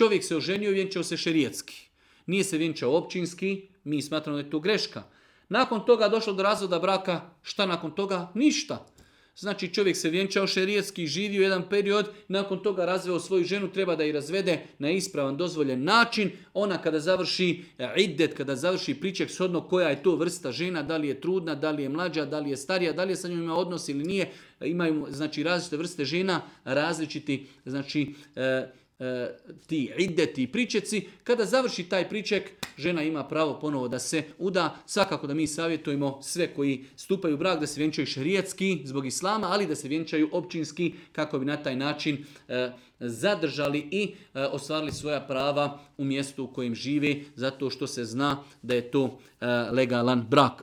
Čovjek se oženio i vjenčao se šerijetski. Nije se vjenčao općinski, mi smatramo da je to greška. Nakon toga došlo do razvoda braka, šta nakon toga? Ništa. Znači čovjek se vjenčao šerijetski, živio jedan period, nakon toga razveo svoju ženu, treba da je razvede na ispravan, dozvoljen način. Ona kada završi iddet, kada završi priček shodno koja je to vrsta žena, da li je trudna, da li je mlađa, da li je starija, da li je sa njom ima odnos ili nije. Imaju znači različite vrste žena, različiti znači ti iddeti i pričeci. Kada završi taj priček, žena ima pravo ponovo da se uda. Svakako da mi savjetujemo sve koji stupaju u brak da se vjenčaju šerijetski zbog islama, ali da se vjenčaju općinski kako bi na taj način zadržali i ostvarili svoja prava u mjestu u kojem žive, zato što se zna da je to legalan brak.